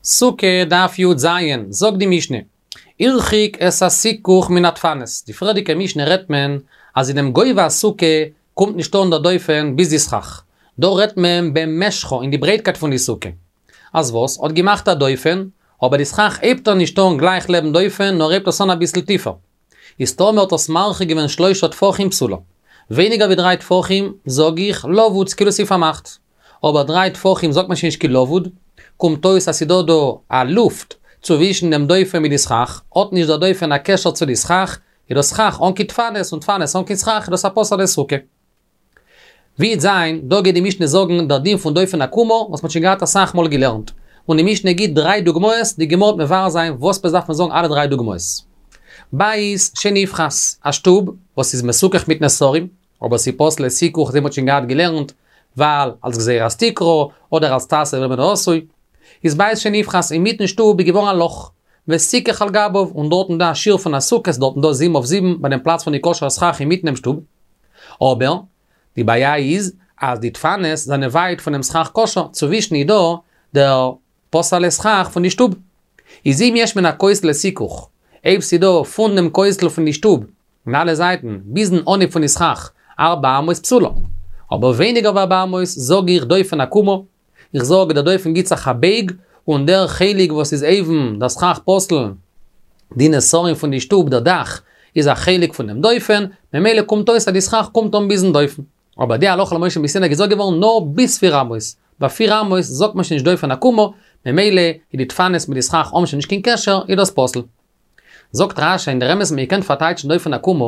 סוכה דף י"ז, זאגט די משנה, הרחיק את הסיכוך מן הדפנות, די פריערדיגע משנה רעדט מען אז אינעם גובה הסוכה קומט נישט אן דער דופן ביז די סכך, דא רעדט מען במשכה אין די ברייטקייט פון די סוכה. אז וואס? האט געמאכט א דופן, אבער די סכך הייבט ער נישט אן גלייך לעבן דופן נאר הייבט עס אן אביסל טיפער. איז טאמער האט עס מרחיק געווען שלושה טפחים פסולה. ווייניגער ווי דריי טפחים זאג איך לבוד כאילו ס'איז פארמאכט. אבער דריי טפחים זאגט מען שוין נישט קיין לבוד, קומט אויס אז ס'דא דא א לופט צווישן דעם דופן מיט די סכך, האט נישט דער דופן א קשר צו די סכך, איז דאס סכך אן קיין דפנות און דפנות אן קיין סכך איז דאס א פסול'ע סוכה. ווי וועט זיין, דא גייט די משנה זאגן דער דין פון דופן עקומה וואס מ'האט שוין געהאט אסאך מאל געלערנט, און די משנה גיט דריי דוגמאות, די גמרא וועט מבאר זיין וואס עפעס דארף מען זאגן אלע דריי דוגמאות. בית שנפחת, א שטוב וואס איז מסוכך מיט נסרים, אבער ס'איז פסול לסיכוך אזוי מ'האט שוין געהאט געלערנט, ווייל אלס גזירת תקרה, אדער אלס תעשה איברים מן העשוי, איז בית שנפחת אינמיטן שטוב איז געווארן א לאך, וסיכך על גביו, און דארטן דא א שיעור פון א סוכה, ס'איז דארטן דא זיבן אויף זיבן ביי דעם פלאץ פון די כשר'ע סכך אינמיטן דעם שטוב. אבער, די בעיה איז, אז די דפנות זענען ווייט פונעם סכך כשר, צווישן איז דא דער פסול'ע סכך פון די שטוב. איז אם יש מן הכותל לסיכוך, אויב ס'דא פון דעם כותל פון די שטוב, אין אלע זייטן, ביזן אנהייב פון די סכך, ארבע אמות פסולה. אבער ווייניגער ווי ארבע אמות, זאג איך דופן עקומה, איך זאג דער דופן גיט זיך א בייג, און דער חלק וואס איז אויבן, דער סכך פסול, די נסרים פון די שטוב, דער דאך, איז א חלק פון דעם דופן, ממילא קומט אויס אז די סכך קומט אן ביזן דופן. אבער די הלכה למשה מסיני געזאגט געווארן נאר ביז פיר אמות, ביי פיר אמות זאגט מען שוין נישט דופן עקומה, ממילא איז די דפנות מיט די סכך האבן שוין נישט קיין קשר, איז דאס פסול. זאגט רש"י אין דער אמת מען קען פארטייטשן דופן עקומה,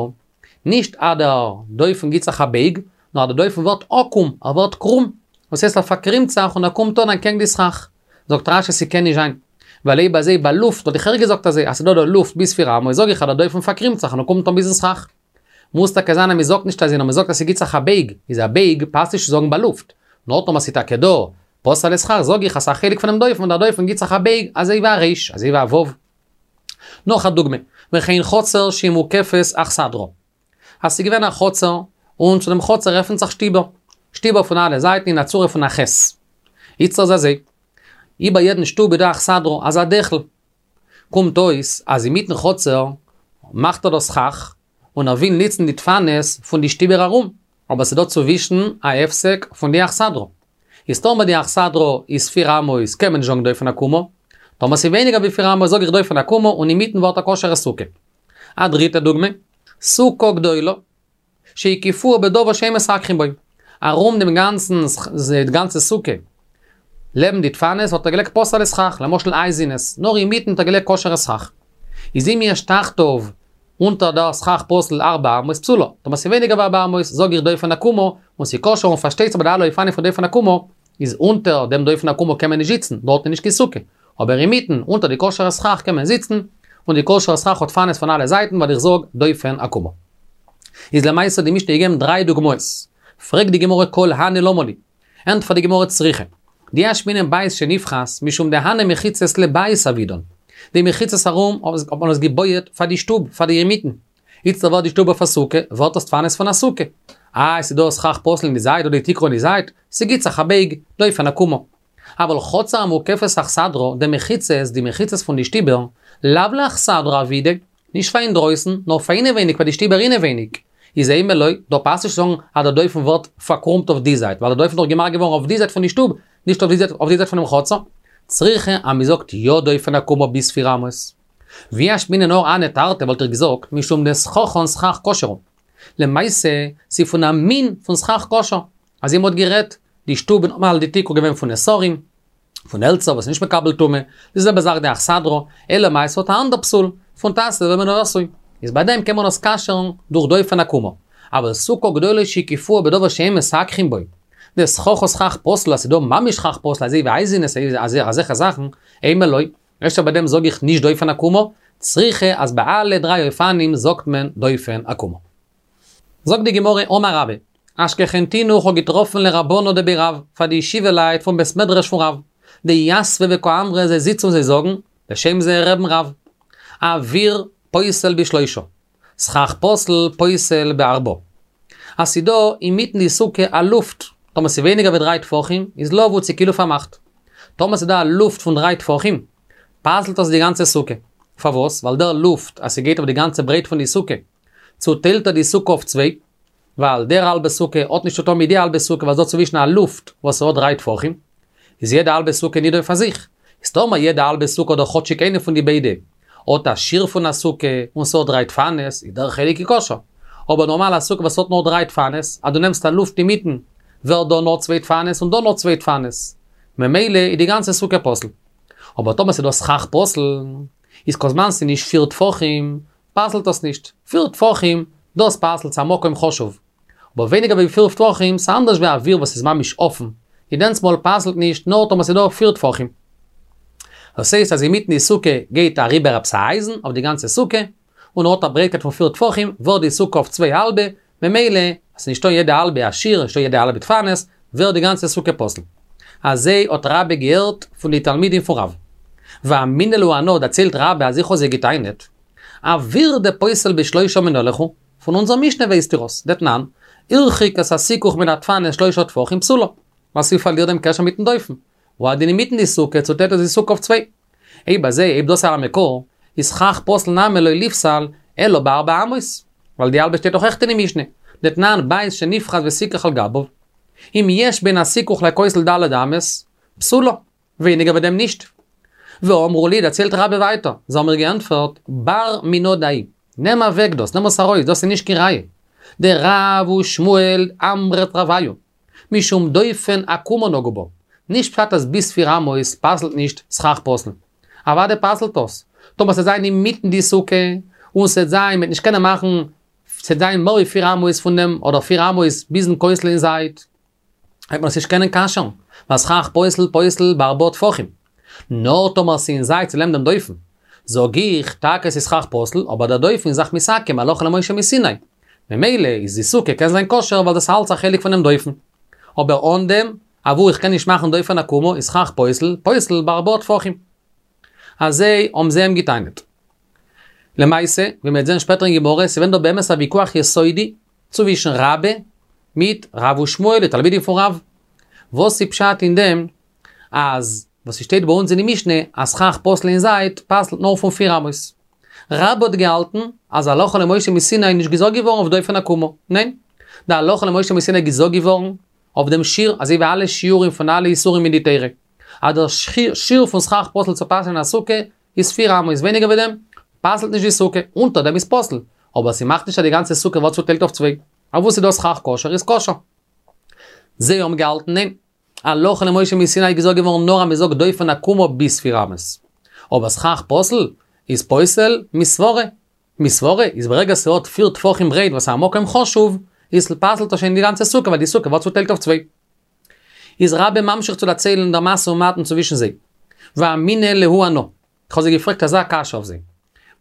נישט אז דער דופן גיט זיך א בייג, נאר אז דער דופן ווערט עקום, ער ווערט קרום, דאס הייסט ער פארקרימט זיך און ער קומט אן אנטקעגן די סכך. זאגט רש"י ס'קען נישט זיין, ווייל אויב אזוי ביי לופט וואלט איך אויך געזאגט אזוי, אז ס'דא דא לופט ביז פיר אמות זאג איך אז דער דופן פארקרימט זיך און ער קומט אן ביזן סכך. מוז טאקע זיין אז מ'זאגט נישט אזוי נאר מ'זאגט אז ס'גיט זיך א בייג, איז א בייג פאסט נישט צו זאגן ביי לופט, נאר טאמער ס'איז טאקע דא פסול'ע סכך זאג איך אז ס'איז א חלק פונעם דופן און דער דופן גיט זיך א בייג אזוי ווי א ריש, אזוי ווי א ו'. נאך א דוגמא, וכן חצר שהיא מוקפת אכסדרה. אז ס'איז געווען א חצר, און צו דעם חצר עפנט זיך שטיבער, שטיבער פון אלע זייטן אין א צורה פון א ח'. איצטער איז אזוי, איבער יעדן שטוב איז דא אכסדרה, אזא דעכל. קומט אויס אז אינמיטן חצר מאכט ער דאס סכך, און ער וויל ניצן די דפנות פון די שטיבער ארום, אבער ס'דא צווישן א הפסק פון די אכסדרה. איז טאמער די אכסדרה איז פיר אמות קען מען נישט זאגן דופן עקומה, טאמער ס'איז ווייניגער ווי פיר אמות זאג איך דופן עקומה און אינמיטן ווערט א כשר'ע סוכה. א דריטע דוגמא, סוכה גדולה, שהקיפוה בדבר שאין מסככין בו, ארום דעם גאנצן די גאנצע סוכה, לעבן די דפנות האט ער געלייגט פסול'ע סכך, למשל אייזענעס, נאר אינמיטן האט ער געלייגט כשר'ע סכך. איז אם יש תחתיו אונטער דער סכך פסול ארבע אמות פסולה, טאמער ס'איז ווייניגער ווי ארבע אמות זאג איך דופן עקומה, און ס'איז כשר און פארשטייט זיך ביי די אלע אופנים פון דופן עקומה, איז אונטער דעם דופן עקומה קען מען נישט זיצן, דארט איז נישט קיין סוכה, אבער אינמיטן, אונטער די כשר'ע סכך קען מען זיצן, און די כשר'ע סכך האט דפנות פון אלע זייטן ווייל איך זאג דופן עקומה. איז למעשה האט די משנה געגעבן דריי דוגמאות. פרעגט די גמרא כל הני למה לי? ענטפערט די גמרא צריכא. דאי אשמעינן בית שנפחת משום דהני מחיצות לבית עבידן. די מחיצות ארום האט מען עס געבויעט פאר די שטוב, פאר די אינמיטן. איצטער ווערט די שטוב אויף א סוכה, ווערט עס דפנות פון א סוכה. איי ס'דא סכך פסול אין די זייט אדער די תקרה אין די זייט, ס'גיט זיך א בייג, דופן עקומה. אבל חצר המוקפת אכסדרה, דמחיצות, די מחיצות פון די שטיבער, לאו לאכסדרה עבידי, נישט פאר אינדרויסן, נאר פאר אינעווייניג פאר די שטיבער אינעווייניג. איז אימא לא, דא פאסט נישט צו זאגן אז דער דופן ווערט פארקרומט אויף די זייט, ווייל דער דופן איז דאך געמאכט געווארן אויף די זייט פון די שטוב, נישט אויף די זייט אויף די זייט פונעם חצר. צריכא אז מ'זאגט יא דופן עקומה ביז פיר אמות. ואי אשמעינן נאר הני תרתי וואלט איך געזאגט משום דסככן סכך כשר הוא. למעשה, ס'איז פון א מין פון סכך כשר. אזוי מ'האט גערעדט, די שטוב איז נארמאל די תקרה געווען פון נסרים, פון העלצער וואס איז נישט מקבל טומאה, די זעלבע זאך די אכסדרה, אלא מאי ס'האט א אנדער פסול, פון תעשה איבר מן העשוי, איז ביי דעם קען מען עס כשר'ן דורך דופן עקומה. אבל סוכה גדולה שהקיפוה בדבר שאין מסככין בו, דסככה סכך פסול אז ס'דא ממש סכך פסול אזוי ווי אייזענעס אזעלכע זאכן, אימא לא, אפשר ביי דעם זאג איך נישט דופן עקומה, צריכא אז ביי אלע דריי אופנים זאגט מען דופן עקומה. זאגט די גמרא אמר רבה, אשכחתינהו כ'האב געטראפן לרבנא דבי רב, פאר די ישיבה לייט פון בית מדרש פון רב, דיתבי וקאמרי זיי זיצן און זיי זאגן, בשם זייער רבי'ן רב, אוויר פוסל בשלושה, סכך פסול פוסל בארבעה. אז ס'דא אינמיטן די סוכה א לופט, טאמער ס'ווייניגער ווי דריי טפחים, איז לבוד ס'כאילו פארמאכט. טאמער ס'דא א לופט פון דריי טפחים. פסל'ט עס די גאנצע סוכה. פארוואס? ווייל דער לופט אז ס'גייט אויף די גאנצע ברייט פון די סוכה, צוטיילט ער די סוכה אויף צוויי, ווייל דער האלבע סוכה האט נישט צוטון מיט די האלבע סוכה ווייל ס'דא צווישן א לופט וואס האט דריי טפחים, איז יעדע האלבע סוכה נידון פאר זיך. איז טאמער יעדע האלבע סוכה אדער כאטשיק איינע פון די ביידע האט א שיעור פון א סוכה און ס'האט דריי דפנות איז דער חלק איז כשר. אבער נארמאל א סוכה וואס האט נאר דריי דפנות, אז דו נעמסט א לופט אינמיטן ווערט דא נאר צוויי דפנות און דא נאר צוויי דפנות. ממילא איז די גאנצע סוכה פסול. אבער טאמער ס'איז דא סכך פסול, איז כל זמן ס'איז נישט פיר טפחים, פסל'ט עס נישט. פיר טפחים, דאס פסל'ט, ס'איז א מקום חשוב. אבער ווייניגער ווי פיר טפחים, ס'איז אנדערש ווי אוויר וואס איז ממש אפן, איז דענסמאל פסל'ט נישט נאר טאמער ס'איז דא פיר טפחים. דאס הייסט אז אינמיטן די סוכה גייט אריבער עפעס א אייזן אויף די גאנצע סוכה, און האט א ברייטקייט פון פיר טפחים, ווערט די סוכה אויף צוויי האלבע, ממילא אז ס'נישטא אין יעדע האלבע א שיעור, נישטא יעדע האלבע דפנות, ווערט די גאנצע סוכה פסול. אזוי האט רבה געהערט פון די תלמידים פון רב. ואמינא להו אנא דערציילט רבה אז איך האב זיי געטענה'ט, אוויר דפוסל בשלושה מנא לכו, פון אונזער משנה ווייסט איר עס, דתנן, הרחיק את הסיכוך מן הדפנות שלושה טפחים פסולה, ווייל ס'פארלירט דעם קשר מיטן דופן. והוא הדין אינמיטן די סוכה צוטיילט עס די סוכה אויף צוויי. אויב אזוי, אויב דאס איז א מקור, איז סכך פסול נמי לא ליפסל אלא בארבע אמות, ווייל די האלבע שטייט דאך אויכעט אין די משנה, דתנן בית שנפחת וסיכך על גביו, אם יש בין הסיכוך לכותל ד' אמות, פסולה, ווייניגער ווי דעם נישט. ואמרו לי, דערציילט רבה ווייטער, זיי האבן מיר געענטפערט, בר מינה דהאי, נעם אוועק דאס, נעם עס ארויס, דאס איז נישט קיין ראיה. דרב ושמואל אמרי תרווייהו, משום דופן עקומה נגעו בה. נישט פשט אז ביז פיר אמות פסל'ט נישט סכך פסול. אוודאי פסל'ט עס. טאמער ס'עט זיין אינמיטן די סוכה, און ס'עט זיין מ'עט נישט קענען מאכן, ס'עט זיין מער ווי פיר אמות פון דעם, אדער פיר אמות ביזן כותל אין זייט, וועט מען עס נישט קענען כשר'ן, ווייל סכך פוסל פוסל בארבעה טפחים. נאר טאמער ס'איז אין זייט ס'לעבן דעם דופן. זאג איך, טאקע ס'איז סכך פסול, אבער דער דופן איז זיך מתעקם הלכה למשה מסיני. ממילא איז די סוכה קען זיין כשר ווייל דאס אלץ א חלק פונעם דופן. אבער אן דעם, אוואו איך קען נישט מאכן דופן עקומה איז סכך פוסל, פוסל בארבעה טפחים. אזוי האבן זיי אים געטענה'ט. למעשה, ווי מ'וועט זען שפעטער אין גמרא, ס'געווען דא באמת א ויכוח יסודי צווישן רבה מיט רב ושמואל די תלמידים פון רב. וואס איז פשט אין דעם אז וואס ס'שטייט ביי אונז אין די משנה אז סכך פסול אין זייט פסל'ט נאר פון פיר אמות. רבה האט געהאלטן אז הלכה למשה מסיני איז נישט געזאגט געווארן אויף דופן עקומה. ניין. די הלכה למשה מסיני איז געזאגט געווארן אויף דעם שיעור, אזוי ווי אלע שיעורים פון אלע איסורים אין די תורה. אז דער שיעור פון סכך פסול צו פסל'ן א סוכה איז פיר אמות, ווייניגער ווי דעם פסל'ט נישט די סוכה, אונטער דעם איז פסול, אבער ס'מאכט נישט אז די גאנצע סוכה ווערט צוטיילט אויף צוויי. אוואו ס'איז דא סכך כשר איז כשר. זיי האבן געהאלטן ניין. הלכה למשה מסיני איז געזאגט געווארן נאר אז מ'זאגט דופן עקומה ביז פיר אמות. אבער סכך פסול איז פוסל מסברה. מסברה איז ברגע ס'האט פיר טפחים ברייט וואס איז א מקום חשוב, איז פסל'ט עס שוין די גאנצע סוכה ווייל די סוכה ווערט צוטיילט אויף צוויי. איז רבה ממשיך צו דערציילן דער משא ומתן צווישן זיי. ואמינא להו אנא. כ'האב זיי געפרעגט אזא קשיא אויף זיי.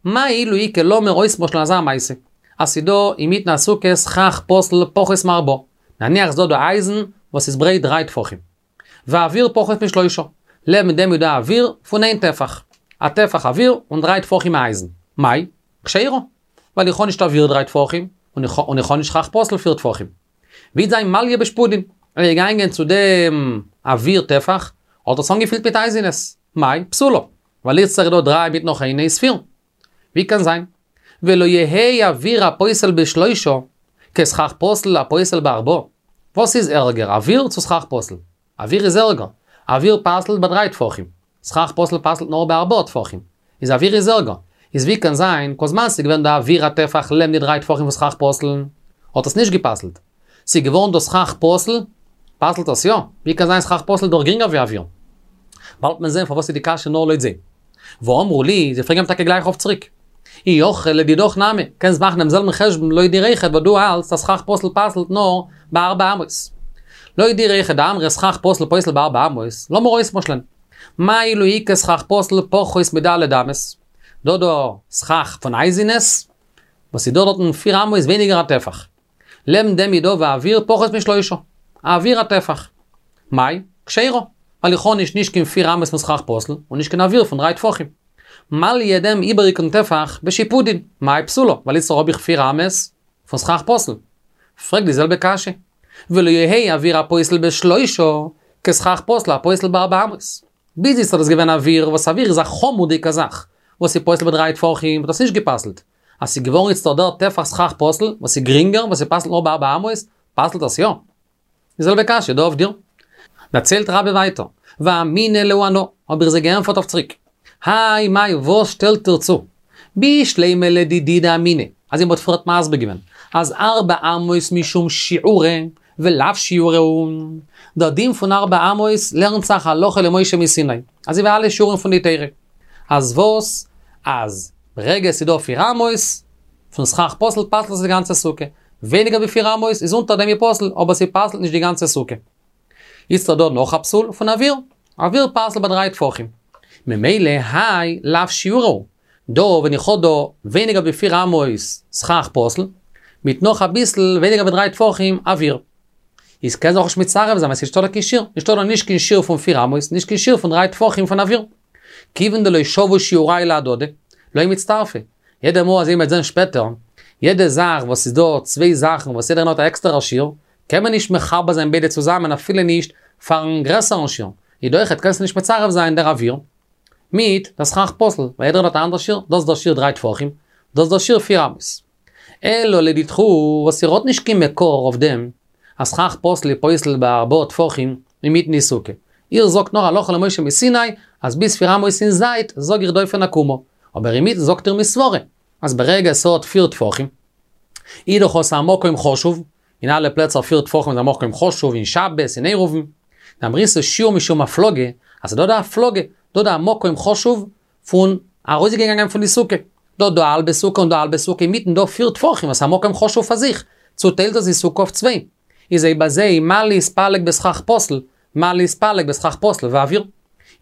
מאי אילו איכא לאמיר אויסמשל'ן אזא מעשה, אז ס'דא אינמיטן א סוכה סכך פסול פחות מארבעה, נניח ס'דא דא אייזן וואס איז ברייט דריי טפחים. ואוויר פחות משלושה, לעבן דעם איז דא אוויר פון איין טפח. א טפח אוויר און דריי טפחים אייזן. מאי? כשרה. ווייל איך האב נישט אוויר דריי טפחים, און איך האב נישט סכך פסול פיר טפחים. וועט זיין מלייה בשפודין, ער איז געגאנגען צו דעם אוויר טפח, האט עס אנגעפילט מיט אייזענעס, מאי? פסולה, ווייל איצטער איז דא דריי מיט נאך איינע איז פיר. ווי קען זיין? ולא יהא אוויר הפוסל בשלושה, כסכך פסול הפוסל בארבעה. וואס איז ערגער, אוויר צו סכך פסול? אוויר איז ערגער. אוויר פסל'ט ביי דריי טפחים. סכך פסול פסל'ט נאר בארבעה טפחים. איז אוויר איז ערגער. איז ווי קען זיין, כל זמן ס'איז געווען דא אוויר א טפח לעבן די דריי טפחים פון סכך פסול, האט עס נישט גע'פסל'ט. ס'איז געווארן דא סכך פסול, פסל'ט עס יא. ווי קען זיין סכך פסול דאך גרינגער ווי אוויר. באלד וועט מען זען פארוואס איז די קשיא נאר לויט זיי. ואמרו לי, זיי פרעגן אים טאקע גלייך אויף צוריק. אי הכי לדידך נמי, קענסט מאכן דעם זעלבן חשבון לויט דיר אויכעט וואס דו האלטסט אז סכך פסול פסל'ט נאר בארבע אמות. לויט דיר אויכעט דאמרת סכך פסול פוסל בארבע אמות, לאמיר אויסמשל'ען. מה אילו איכא סכך פסול פחות מד' אמות? דא דא סכך פון אייזינעס, וואס איז דא דארטן פיר אמות ווייניגער א טפח. לעבן דעם איז דא ואוויר פחות משלושה, אוויר א טפח. מאי? כשרה, ווייל איך האב נישט נישט קיין פיר אמות פון סכך פסול, און נישט קיין אוויר פון דריי טפחים. מליא דעם איבעריגן טפח בשיפודין, מאי פסולה, ווייל איצטער האב איך פיר אמות פון סכך פסול. פרעג די זעלבע קשיא. ולא יהא אוויר הפוסל בשלושה, כסכך פסול הפוסל בארבע אמות. ביז איצט איז דאס געווען אוויר, וואס אוויר איז א חמור'דיגע זאך, וואס איז פוסל בדריי טפחים, האט דאס נישט גע'פסל'ט. אז ס'איז געווארן איצטער דער טפח סכך פסול, וואס איז גרינגער, וואס ס'פסל'ט נאר בארבע אמות, פסל'ט עס יא. די זעלבע קשיא דא אויף דיר. דערציילט רבה ווייטער, ואמינא להו אנא, האב איך זיי געענטפערט אויף צוריק. האי מאי וואס שטעלט איר צו? בשלימא לדידי דאמינא, אזוי מ'האט פריערט מסביר געווען, אז ארבע אמות משום שיעורא ולאו שיעורא הוא. דער דין פון ארבע אמות לערנט זיך הלכה למשה מסיני, אזוי ווי אלע שיעורים פון די תורה. אז וואס? אז ברגע ס'איז דא פיר אמות, פון סכך פסול פסל'ט עס די גאנצע סוכה. ווייניגער ווי פיר אמות איז אונטער דעם איז פסול, אבער ס'פסל'ט נישט די גאנצע סוכה. איצטער דא נאך א פסול פון אוויר, אוויר פסל'ט ביי דריי טפחים. ממילא האי לאו שיעורא הוא. דא ווען איך האב דא ווייניגער ווי פיר אמות סכך פסול, מיט נאך אביסל ווייניגער ווי דריי טפחים אוויר. איז קען זיך נישט מצרף זיין ווייל ס'איז נישטא דא קיין שיעור, נישטא דא נישט קיין שיעור פון פיר אמות, נישט קיין שיעור פון דריי טפחים פון אוויר. כיוון דלא שוו שיעורייהו להדדי, לא מצטרפי. יעדע מאל אזוי מ'וועט זען שפעטער, יעדע זאך וואס איז דא צוויי זאכן וואס יעדער איינער האט א עקסטערע שיעור, קען מען נישט מחבר זיין ביידע צוזאמען אפילו נישט פארן גרעסערן שיעור, איז דא אויכעט קענסטו נישט מצרף זיין דער אוויר מיט דער סכך פסול, ווייל יעדער האט א אנדער שיעור, דאס איז דער שיעור דריי טפחים, דאס איז דער שיעור פיר אמות. אלא לדידכו וואס איר האט נישט קיין מקור אויף דעם אז סכך פסול איז פוסל בארבעה טפחים אינמיטן די סוכה. איר זאגט נאר הלכה למשה מסיני אז ביז פיר אמות אין זייט זאג איך דופן עקומה, אבער אינמיטן זאגט איר מסברה אז ברגע עס האט פיר טפחים איז דאך עס א מקום חשוב, אין אלע פלעצער פיר טפחים איז א מקום חשוב אין שבת אין עירובין, דאמריתו שיעור משום הפלגה, אז ס'דא דא הפלגה, דא דא א מקום חשוב פון ארויסגעגאנגען פון די סוכה. דא דא א האלבע סוכה און דא א האלבע סוכה אינמיטן דא פיר טפחים וואס א מקום חשוב פאר זיך, צוטיילט עס די סוכה אויף צוויי. איז אויב אזוי מה להתפלג בסכך פסול, מה להתפלג בסכך פסול ואוויר.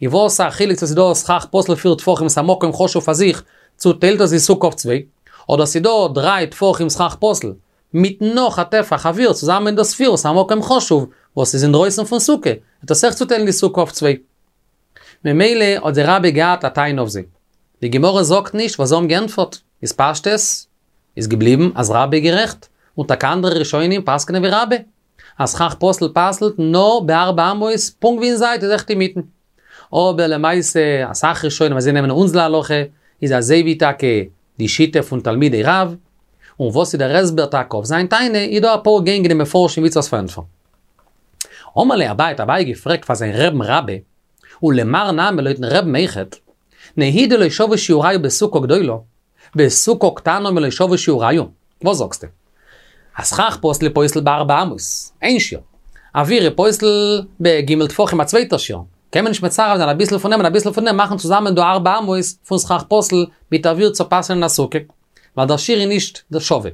איז וואס א חילוק צו ס'דא סכך פסול פיר טפחים וואס א מקום חשוב פאר זיך, צוטיילט עס די סוכה אויף צוויי, אדער ס'דא דריי טפחים סכך פסול, מיט נאך א טפח אוויר צוזאמען דאס פיר וואס א מקום חשוב וואס איז אינדרויסן פון סוכה, וועט עס אויך צוטיילן די סוכה אויף צוויי. ממילא האט זיי רבה געהאט א טענה אויף זיי. די גמרא זאגט נישט וואס זיי האבן געענטפערט, איז פשטות איז געבליבן אז רבה איז גערעכט, און טאקע אנדערע ראשונים פסק'נען ווי רבה, אז סכך פסול פסל'ט נאר בארבע אמות פונקט ווי אין זייט איז אויכעט אינמיטן. אבער למעשה אסאך ראשונים וואס זיי נעמען אונז להלכה איז אזוי ווי טאקע די שיטה פון תלמידי רב, און וואס איז דער הסבר טאקע אויף זיין טענה, איז דא אפאר גענג אין די מפרשים ווי צו עס פארענטפערן. אמר ליה אביי האט אביי געפרעגט פאר זיין רעבן רבה, ולמר נמי לויטן רעבן אויכעט, נהי דלא שוו שיעורייהו בסוכה גדולה, בסוכה קטנה מי לא שוו שיעורייהו, וואס זאגסטו? אז סכך פסול פוסל בארבע אמות, איין שיעור. אוויר פוסל בג' טפחים א צווייטער שיעור. קען מען נישט מצרף זיין אביסל פון דעם און אביסל פון דעם מאכן צוזאמען דא ארבע אמות פון סכך פסול מיט אוויר צו פסל'ן א סוכה. ווייל דער שיעור איז נישט דער שווה.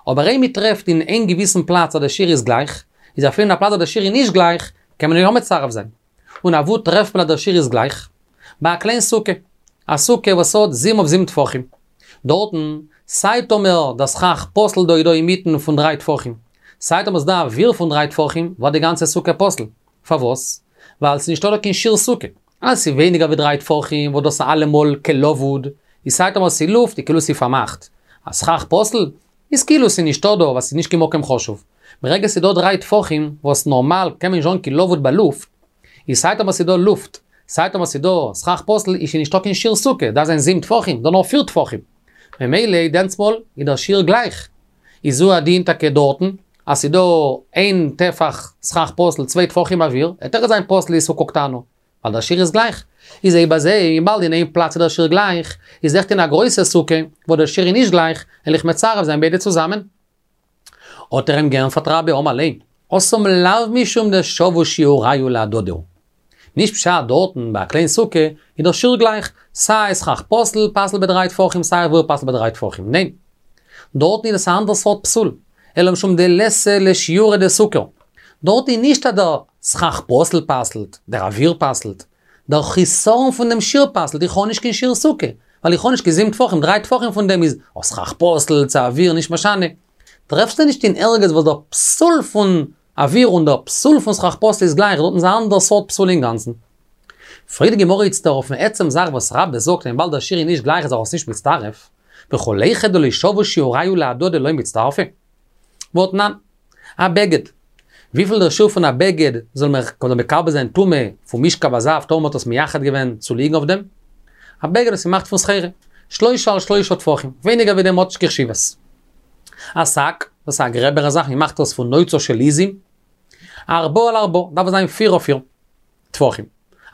אבער אויב מ'טרעפט אין איין געוויסן פלאץ אז דער שיעור איז גלייך, איז אפילו אין א פלאץ אז דער שיעור איז נישט גלייך, קען מען יא מצרף זיין. און אוואו טרעפט מען אז דער שיעור איז גלייך? ביי א קליין סוכה. א סוכה וואס האט זיבן אויף זיבן טפחים. דארטן, סיי טאמער דער סכך פסול דא איז דא אינמיטן פון דריי טפחים, סיי טאמער ס'דא אוויר פון דריי טפחים, ווערט די גאנצע סוכה פסול. פארוואס? ווייל ס'איז נישטא דא קיין שיעור סוכה. אז ס'איז ווייניגער ווי דריי טפחים וואס דאס איז אלעמאל כלבוד, איז סיי טאמער ס'איז לופט איז כאילו ס'איז פארמאכט. א סכך פסול איז כאילו ס'איז נישטא דא ווייל ס'איז נישט קיין מקום חשוב. ברגע ס'איז דא דריי טפחים וואס נארמאל קען מען נישט זאגן קיין לבוד ביי לופט, איז סיי טאמער ס'איז דא לופט, סיי טאמער ס'איז דא סכך פסול איז שוין נישטא קיין שיעור סוכה, דארף זיין זיבן טפחים, דא נאר פיר טפחים. ממילא דענסמאל איז דער שיעור גלייך. איז הוא הדין טאקע דארטן, אז ס'איז דא איין טפח סכך פסול צוויי טפחים אוויר, וועט אויכעט זיין פסול די סוכה קטנה, ווייל דער שיעור איז גלייך. איז אויב אזוי, וויבאלד אין איין פלאץ איז דער שיעור גלייך, איז אויכעט אין א גרויסע סוכה, וואו דער שיעור איז נישט גלייך, וועל איך מצרף זיין ביידע צוזאמען. האט ער אים געענטפערט רבה אמר ליה, התם לאו משום דשוו שיעורייהו להדדי הוא. נישט פשט דארטן ביי א קליין סוכה איז דער שיעור גלייך, סיי סכך פסול פסל'ט בדריי טפחים סיי אוויר פסל'ט בדריי טפחים, ניין. דארטן איז עס א אנדער סארט פסול, אלא משום דליתא לשיעורא דסוכה. דארט איז נישט אז דער סכך פסול פסל'ט, דער אוויר פסל'ט, דער חיסרון פון דעם שיעור פסל'ט, איך האב נישט קיין שיעור סוכה, ווייל איך האב נישט קיין זיבן טפחים, דריי טפחים פון דעם איז א סכך פסול צו אוויר נישט משנה. טרעפסטו נישט אין ערגעץ וואס דער פסול פון אוויר און דער פסול פון סכך פסול איז גלייך, דארטן איז א אנדער סארט פסול אינגאנצן. פרעגט די גמרא איצטער אויפן עצם זאך וואס רבה זאגט וויבאלד דער שיעור איז נישט גלייך איז ער עס נישט מצטרף, וכל היכא דלא שוו שיעורייהו להדדי לא מצטרפי. והתנן. א בגד. וויפיל דער שיעור פון א בגד זאל מקבל זיין טומאה פון משכב הזב טאמער מ'האט עס מייחד געווען צו ליגן אויף דעם? א בגד וואס איז געמאכט פון סחורה, שלושה על שלושה טפחים, ווייניגער ווי דעם האט נישט קיין חשיבות. א שק, דאס איז א גרעבערע זאך, מ'מאכט עס פון נוצה של עיזים, ארבעה על ארבעה, דארף עס זיין פיר אויף פיר טפחים.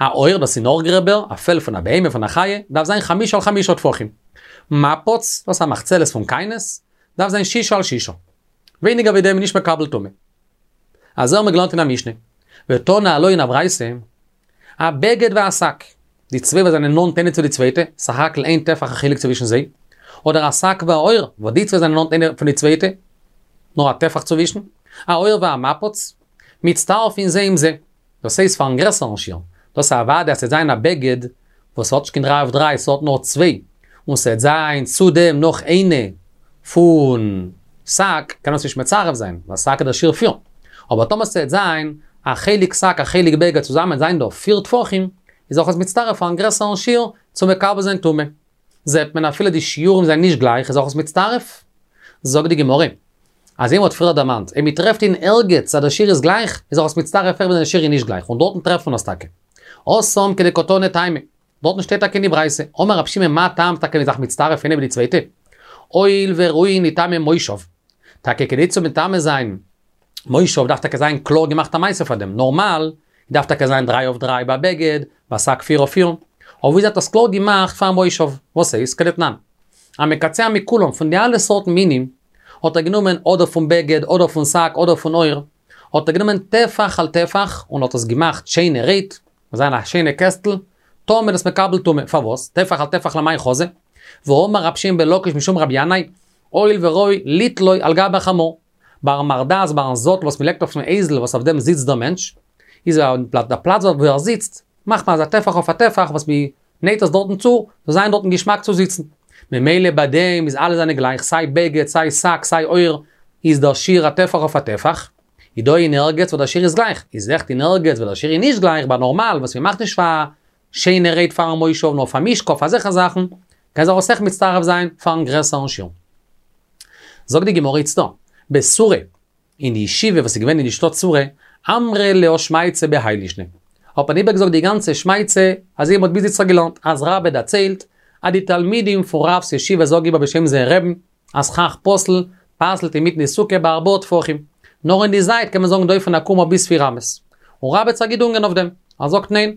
א עור, דאס איז נאך גרעבער, א פעל פון א בהמה, פון א חיה, דארף זיין חמשה על חמשה טפחים. מפץ, דאס איז א מחצלת פון כיינות, דארף זיין שישה על שישה. ווייניגער ווי דעם איז נישט מקבל טומאה. אזוי האבן מיר געלערנט אין א משנה. ותנא עלה אין א ברייתא, הבגד והשק, די צוויי וואס זענען נאנט איינע צו די צווייטע, סך הכל איין טפח א חילוק צווישן זיי, אדער השק והעור, וואס די צוויי זענען נאנט איינע פון די צווייטע, נאר א טפח צווישן, העור והמפץ, מצטרפין זה עם זה, דאס הייסט פארן גרעסערן שיעור, דאס איז אוודאי אז ס'וועט זיין א בגד וואס האט נישט קיין דריי אויף דריי, ס'האט נאר צוויי, און ס'וועט זיין צו דעם נאך איינע פון שק, קען מען עס נישט מצרף זיין, ווייל שק איז דער שיעור פיר. אבער טאמער ס'וועט זיין א חלק שק א חלק בגד צוזאמען זיין דא פיר טפחים, איז אויך עס מצטרף פארן גרעסערן שיעור צו מקבל זיין טומאה. זעט מען אפילו די שיעורים זענען נישט גלייך איז אויך עס מצטרף. זאגט די גמרא, אזוי ווי מ'האט פריער דערמאנט, אויב מ'טרעפט אין ערגעץ אז דער שיעור איז גלייך, איז אויך עס מצטרף אויך ווען דער שיעור איז נישט גלייך, און דארטן טרעפט מען עס טאקע. התם כדקתני טעמא. דארטן שטייט טאקע אין די ברייתא, אמר רב שמעון מה טעם טאקע מ'איז זיך מצטרף איינע מיט די צווייטע? הואיל וראויין לטמא מושב. טאקע כדי צו מטמא זיין מושב דארף טאקע זיין קלאר געמאכט א מעשה פאר דעם, נארמאל דארף טאקע זיין דריי אויף דריי ביי בגד, ביי שק פיר אויף פיר, אבער ווי האט עס קלאר געמאכט פאר מושב, וואס הייסט כדתנן. המקצע מכולם, פון די אלע סארטן מינים, האט ער גענומען אדער פון בגד אדער פון שק אדער פון עור, האט ער גענומען טפח על טפח און האט עס געמאכט שיינערהייט, זיין א שיינע קעסטל, טמא איז עס מקבל טומאה, פארוואס? טפח על טפח למאי חזי? והאמר רב שמעון בן לקיש משום רבי ינאי, הואיל וראוי ליתלו על גבי החמור. ביים מרדעת ביים זאטל וואס מ'לייגט אויפן אייזל וואס אויף דעם זיצט דער מענטש, איז דער פלאץ וואו ער זיצט, מאכט מען אזא טפח אויף א טפח וואס מ'נייט עס דארטן צו, זאל זיין דארטן געשמאק צו זיצן. ממילא ביי דעם איז אלע זענען גלייך, סיי בגד, סיי שק, סיי עור, איז דער שיעור א טפח אויף א טפח. איז דא אין ערגעץ וואו דער שיעור איז גלייך, איז עכט אין ערגעץ וואו דער שיעור איז נישט גלייך, ביי נארמאל וואס מ'מאכט נישט פאר שיינערהייט פארן מושב נאר פאר משכב פאר אזעלכע זאכן, קען זיך עס אויך מצטרף זיין פארן גרעסערן שיעור. זאגט די גמרא איצטער, בסורא, אין די ישיבה וואס איז געווען אין די שטאט סורא, אמרי להו שמעתתא בהאי לישנא. האט מען איבערגעזאגט די גאנצע שמעתתא, אזוי ווי מ'האט ביז איצטער געלערנט, אז רבה דערציילט, אז די תלמידים פון רב'ס ישיבה זאגן איבער בשם זייער רעבן, אז סכך פסול, פסל'ט אינמיטן די סוכה בארבעה טפחים. נאר אין די זייט קען מען זאגן דופן עקומה ביז פיר אמות. און רבה האט זיך געדונגען אויף דעם. ער זאגט ניין.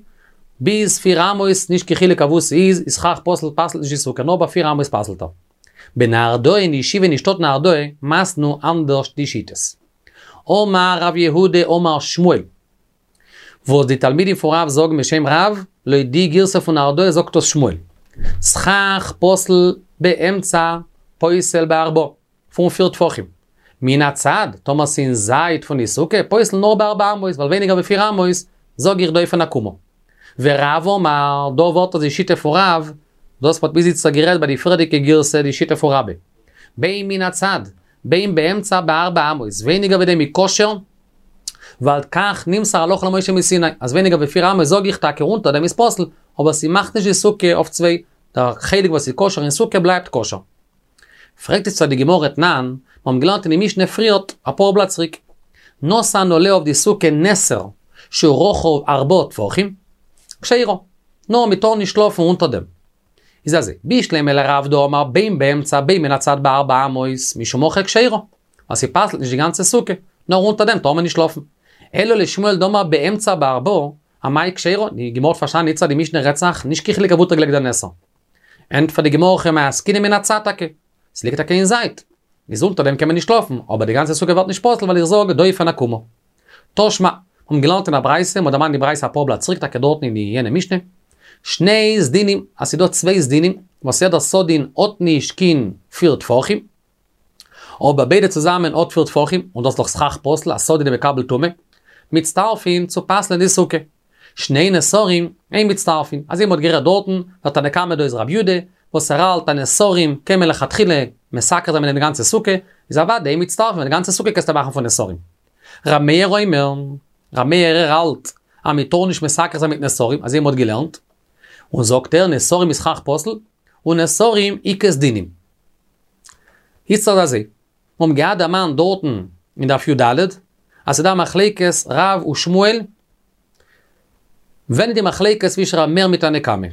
ביז פיר אמות, נישט קיין חילוק אוואו ס'איז, איז סכך פסול פסל'ט נישט די סוכה, נאר ביי פיר אמות פסל'ט ער. בנהרדעא אין די ישיבה אין די שטאט נהרדעא מתנו אנדערש די שיטות. אמר רב יהודה אמר שמואל. וואס די תלמידים פון רב זאגן בשם רב, לויט די גירסא פון נהרדעא זאגט דאס שמואל. סכך פסול באמצע פוסל בארבעה, פון פיר טפחים. מן הצד, טאמער ס'אין זייט פון די סוכה, פוסל נאר בארבע אמות, ווייל ווייניגער ווי פיר אמות, זאג איך דופן עקומה. ורב אמר, דא ווערט עס די שיטה פון רב, דאס מ'האט ביז איצטער גערעדט ביי די פריערדיגע גירסא די שיטה פון רבה. בין מן הצד, בין באמצע בארבע אמות, ווייניגער ווי דעם איז כשר, ווייל כך נמסר הלכה למשה מסיני, אז ווייניגער ווי פיר אמות זאג איך טאקע אונטער דעם איז פסול, אבער ס'מאכט נישט די סוכה אויף צוויי, דער חלק וואס איז כשר אין סוכה בלייבט כשר. פרעגט איצטער די גמרא תנן, מיר האבן געלערנט אין די משנה פריערט, אפאר בלאט צוריק, נתן עליה אויף די סוכה נסר שהוא רחב ארבעה טפחים, כשרה, נאר מ'טאר נישט שלאפן אונטער דעם. איז אזוי, בשלמא לרב דאמר בין באמצע בין מן הצד בארבע אמות, משום הכי כשרה, ווייל ס'פסל'ט נישט די גאנצע סוכה, נאר אונטער דעם טאר מען נישט שלאפן. אלא לשמואל דאמר באמצע בארבעה, אמאי כשרה, די גמרא האט פארשטאנען איצטער די משנה רעדט זיך נישט קיין חילוק אוואו האט ער געלייגט דער נסר. ענטפערט די גמרא הכא במאי עסקינן מן הצד טאקע, ס'ליגט טאקע אין זייט, איז אונטער דעם קען מען נישט שלאפן, אבער די גאנצע סוכה ווערט נישט פסול ווייל איך זאג דופן עקומה. תא שמע, האבן געלערנט אין א ברייתא, מ'האט דערמאנט די ברייתא אפאר בלאט צוריק טאקע דארטן אין די יענע משנה, שני סדינים, אז ס'דא צוויי סדינים, וואס יעדער סדין האט נישט קיין פיר טפחים, אבער ביידע צוזאמען האט פיר טפחים, און דאס איז דאך סכך פסול, א סדין איז מקבל טומאה, מצטרפין צו פסל'ען די סוכה. שני נסרים, אין מצטרפין, אזוי מ'האט גערעדט דארטן, דער תנא קמא דא איז רב יודא, וואס ער האלט אז נסרים קען מען לכתחילה מתקן זיין מיט דעם די גאנצע סוכה, איז אוודאי אין מצטרפין, ווייל די גאנצע סוכה קענסטו מאכן פון נסרים. ר' מאיר אומר, ר' מאיר ער האלט אז מען טאר נישט מתקן זיין מיט נסרים, אזוי מ'האט געלערנט, און זאגט ער נסרים איז סכך פסול, און נסרים איכא סדינים. איצטערט אזוי, מיר האבן געהאט דערמאנט דארטן אין דף י"ד, אז ס'דא מחלוקת רב ושמואל, ווען איז די מחלוקת צווישן ר' מאיר מיט תנא קמא?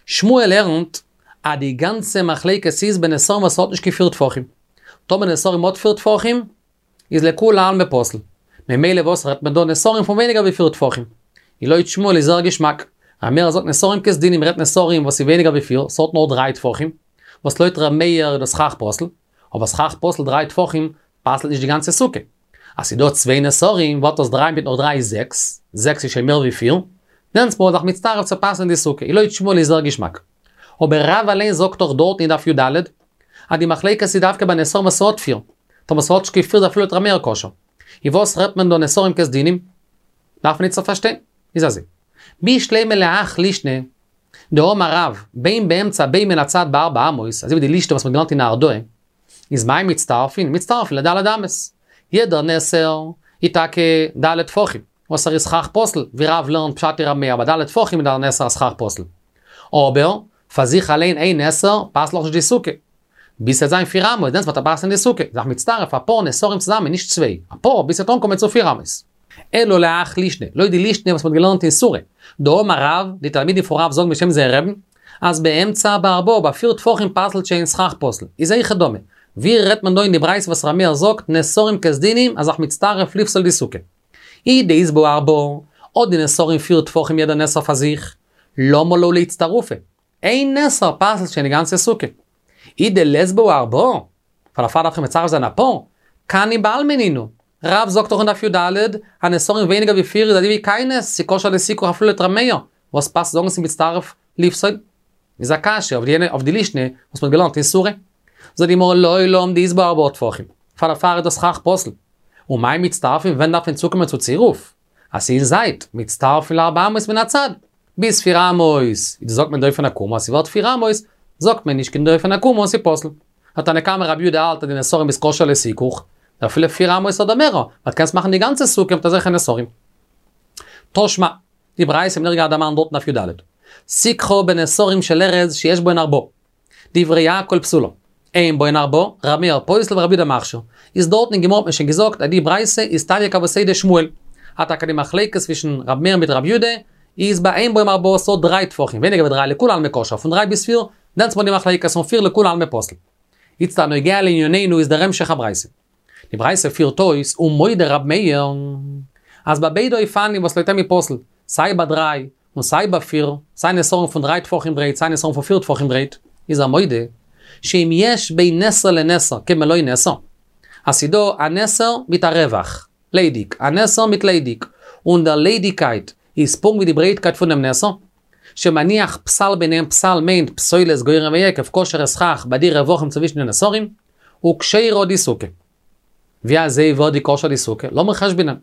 שמואל לערנט אז די גאנצע מחלוקת איז בנסרים וואס האט נישט קיין פיר טפחים. טאמער נסרים האט פיר טפחים, איז לכולי עלמא פסול. ממילא וואס רעדט מען דא נסרים פון ווייניגער ווי פיר טפחים? איז לויט שמואל איז זייער געשמאק. ר' מאיר זאגט נסרים כסדינים מ'רעדט נסרים וואס איז ווייניגער ווי פיר, ס'האט נאר דריי טפחים, וואס לויט ר' מאיר איז דאס סכך פסול, אבער סכך פסול דריי טפחים פסל'ט נישט די גאנצע סוכה. אז ס'איז דא צוויי נסרים ווערט דאס דריי מיט נאך דריי איז זעקס, זעקס איז שוין מער ווי פיר, דענסמאל איז זיך מצטרף צו פסל'ן די סוכה, איז לויט שמואל איז זייער געשמאק. אבער רב אליין זאגט דאך דארט אין דף י"ד, אז די מחלוקת איז דווקא ביי נסרים וואס ס'האט פיר, טאמער ס'האט נישט קיין פיר איז אפילו לויט ר' מאיר כשר. איז וואס רעדט מען דא נסרים כסדינים? דארף מען איצטער פארשטיין. איז אזוי. בשלמא להך לישנא, דאמר רב, בין באמצע בין מן הצד בארבע אמות, אזוי ווי די לישנא וואס מ'האט געלערנט אין נהרדעא, איז מאי מצטרפין? מצטרפין לד' אמות. יעדער נסר איז טאקע ד' טפחים, וואס ער איז סכך פסול, ווי רב לערנט פשט אין ר' מאיר, ביי ד' טפחים איז דער נסר א סכך פסול. אבער, פאר זיך אליין איין נסר פסל'ט נאכנישט די סוכה. ביז ס'וועט זיין פיר אמות, דענסט וועט ער פסל'ן די סוכה. זיך מצטרף אפאר נסרים צוזאמען, נישט צוויי, אפאר, ביז ס'וועט אנקומען צו פיר אמות. אלא להך לישנא, לויט די לישנא וואס מ'האט געלערנט אין סורא, דאמר רב, די תלמידים פון רב זאגן בשם זייער רבי'ן, אז באמצע בארבעה, ביי פיר טפחים פסל'ט שוין סכך פסול. איז היכי דמי. ווי רעדט מען דא אין די ברייתא וואס ר' מאיר זאגט נסרים כסדינים אז זיך מצטרף לפסול די סוכה. אי דאית בהו ארבעה, האט די נסרים פיר טפחים יעדע נסר פאר זיך, למה להו לאיצטרופי? איין נסר פסל'ט שוין די גאנצע סוכה. אי דלית בהו ארבעה, ווייל דערפאר דארף איך מצרף זיין אפאר, קנים בעלמא נינהו. רב זאגט דאך אין דף י"ד, אז נסרים ווייניגער ווי פיר איז אזוי ווי כיינות, ס'כשר לסיכוך אפילו לויט ר' מאיר, וואס פאסט זאגן ס'מצטרף לפסול? איז א קשיא אויף די אויף די לישנא וואס מ'האט געלערנט אין סורא. זאגט די גמרא לעולם דאית בהו ארבעה טפחים, פאר דערפאר איז דאס סכך פסול. ומאי מצטרפין ווען דארף מען צוקומען צו צירוף? אז ס'איז אין זייט, מצטרפין לארבע אמות מן הצד. ביז פיר אמות איז זאגט מען דופן עקומה, אז ס'ווערט פיר אמות זאגט מען נישט קיין דופן עקומה און ס'פסול. תנא קמא רבי יהודה האלט אז די נסרים איז כשר לסיכוך, אפילו פיר אמות אדער מער, ווייל קענסט מאכן די גאנצע סוכה מיט אזעלכע נסרים. תא שמע, די ברייתא האבן מיר געהאט דערמאנט דארט אין דף י"ד. סיככה בנסרים של ארז שיש בהן ארבעה. דברי הכל פסולה. אין בהן ארבעה, ר' מאיר פוסל ורבי יהודה מכשיר. איז דארטן אין גמרא האט מען שוין געזאגט אז די ברייתא איז תניא כוותיה דשמואל. אז טאקע די מחלוקת צווישן ר' מאיר מיט רבי יהודה איז ביי אין בהם ארבעה ס'האט דריי טפחים, ווייניגער ווי דריי לכולי עלמא כשר, פון דריי ביז פיר, דענסמאל די מחלוקת פון פיר לכולי עלמא פסול. איצט הנוגע לענינינו איז דער המשך הברייתא. די ברייתא פירט אויס ומודה ר' מאיר אז ביי ביידע אופנים וואס לויט אים איז פסול, סיי ביי דריי און סיי ביי פיר, סיי נסרים פון דריי טפחים ברייט סיי נסרים פון פיר טפחים ברייט, איז ער מודה שאם יש בין נסר לנסר כמלוא נסר, אז ס'דא א נסר מיט א רווח, ליידיג, א נסר מיט ליידיג, און דער ליידיגקייט איז פונקט ווי די ברייטקייט פונעם נסר, שמניח פסל ביניהם פסל מיינט פסולת גורן ויקב כשר'ע סכך ביי די רווחים צווישן די נסרים, וכשרה די סוכה. ווי אזוי ווערט די כשר די סוכה? לאמיר חשבונ'ען.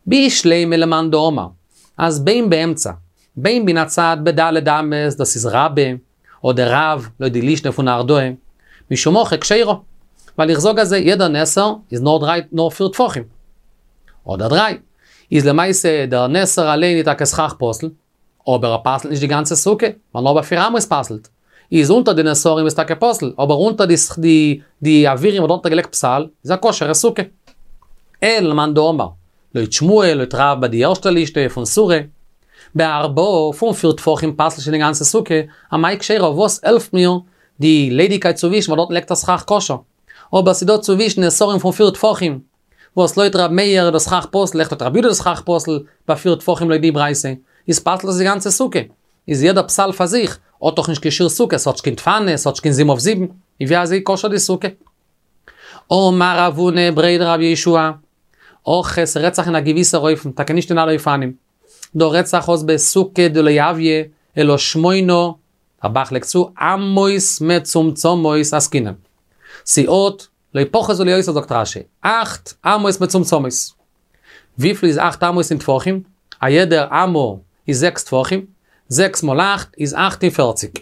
בשלימא למאן דאמר אז בין באמצע בין מן הצד בד' אמות דאס איז רבה אדער רב לויט די לישנא פון נהרדעא, משום הכי כשרה. ווייל איך זאג אזוי יעדער נסר איז נאר דריי נאר פיר טפחים. אדער דריי. איז למעשה דער נסר אליין איז טאקע סכך פסול. אבער ער פסל'ט נישט די גאנצע סוכה, ווייל נאר ביי פיר אמות פסל'ט. איז אונטער די נסרים איז טאקע פסול, אבער אונטער די די די אווירים וואס דארט האט ער געלייגט פסל, איז א כשר'ע סוכה. אלא למאן דאמר, לויט שמואל, לויט רב ביי די ערשטע לישנא פון סורא, בארבעה פון פיר טפחים פסל'ט שוין די גאנצע סוכה, אמאי כשרה וואס העלפט מיר די ליידיגקייט צווישן ווייל דארטן לייגט ער סכך כשר. אבער ס'דא צווישן נסרים פון פיר טפחים, וואס לויט ר' מאיר איז דאס סכך פסול, אויך לויט ר' יהודה איז דאס סכך פסול, ביי פיר טפחים לויט די ברייתא, איז פסל'ט עס די גאנצע סוכה. איז יעדער פסל פאר זיך, האט דאך נישט קיין שיעור סוכה, ס'האט נישט קיין דפנות, ס'האט נישט קיין זיבן אויף זיבן, איז ווי אזוי כשר די סוכה? אמר רב הונא בריה דרב יהושע, הכא ס'רעדט זיך אין א געוויסער אופן, טאקע נישט אין אלע אופנים. דא רעדט זיך אויס בסוכה דלא הויא אלא שמונה, דער ב"ח לייגט צו, אמות מצומצמות עסקינן. ס'האט לא פחות ולא יותר זאגט רש"י, אכט אמות מצומצמות. וויפיל איז אכט אמות אין טפחים? א יעדער אמה איז זעקס טפחים, זעקס מאל אכט איז 48.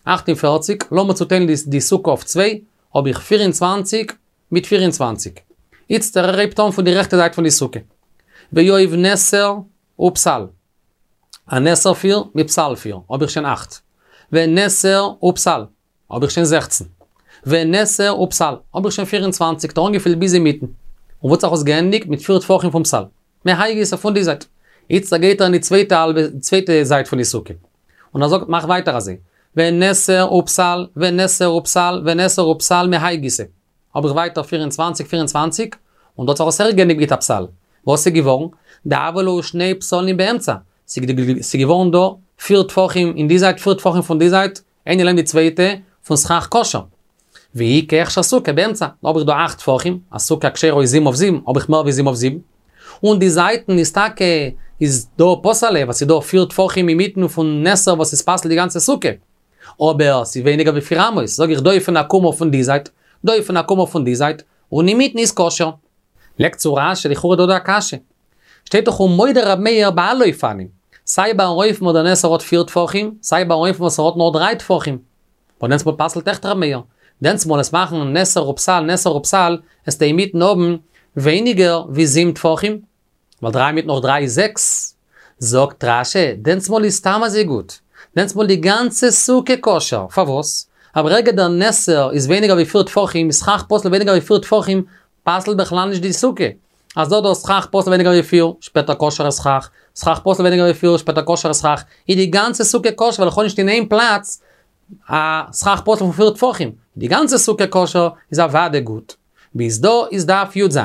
48, לאמיר צוטיילן די סוכה אויף צוויי, האב איך 24 מיט 24. איצטער ער הייבט אן פון די רעכטע זייט פון די סוכה. ויואב נסר ופסל. א נסר פיר מיט פסל פיר, האב איך שוין אכט. ונסר ופסל. האב איך שוין 16. ונסר ופסל, האב איך שוין 24, האט ער אנגעפילט ביז אינמיטן. און וואו האט זיך עס געענדיגט? מיט פיר טפחים פון פסל. מהאי גיסא פון די זייט. איצטער גייט ער אין די צווייטע האלבע, צווייטע זייט פון די סוכה. און ער זאגט, מאך ווייטער אזוי. ונסר ופסל, ונסר ופסל, ונסר ופסל מהאי גיסא. האב איך ווייטער 24, 24, און דא האט זיך עס אויך געענדיגט מיט א פסל. וואס איז געווארן? דהוו להו שני פסלים באמצע. ס'איז געווארן דא פיר טפחים אין די זייט, פיר טפחים פון די זייט, איינע לעבן די צווייטע, פון סכך כשר. ואיכא הכשר סוכה באמצע, דא האב איך דא אכט טפחים, א סוכה כשרה איז זיבן אויף זיבן, האב איך מער ווי זיבן אויף זיבן. און די זייטן איז טאקע איז דא פסל'ע, ווייל ס'איז דא פיר טפחים אינמיטן פון נסר וואס איז פסל די גאנצע סוכה. אבער ס'איז ווייניגער ווי פיר אמות, זאג איך דופן עקומה פון די זייט, דופן עקומה פון די זייט, און אינמיטן איז כשר. לייגט צו רש"י לכאורה דא דא א קשיא. שטייט דאך ומודה ר' מאיר באלו אופנים. סיי ביי אן אופן וואס דער נסר האט פיר טפחים, סיי ביי אן אופן וואס ער האט נאר דריי טפחים. און דענסמאל פסל'ט עכט ר' מאיר. דענסמאל עסט מאכן נסר ופסל נסר ופסל, עסטו אינמיטן האבן ווייניגער ווי זיבן טפחים. ווייל דריי מיט נאך דריי איז זעקס. זאגט רש"י, דענסמאל איז סתם אזוי גוט. דענסמאל די גאנצע סוכה כשר. פארוואס? ווייל ברגע דער נסר איז ווייניגער ווי פיר טפחים, איז סכך פסול ווייניגער ווי פיר טפחים, פסל'ט בכלל נישט די סוכה. אז דא דא סכך פסול ווייניגער ווי פיר, שפעטער כשר'ע סכך, סכך פסול ווייניגער ווי פיר, שפעטער כשר'ע סכך, איז די גאנצע סוכה כשר ווייל איך האב נישט אין איין פלאץ א סכך פסול פון פיר טפחים. די גאנצע סוכה כשר איז אוודאי גוט. ביז דא איז דף י"ז.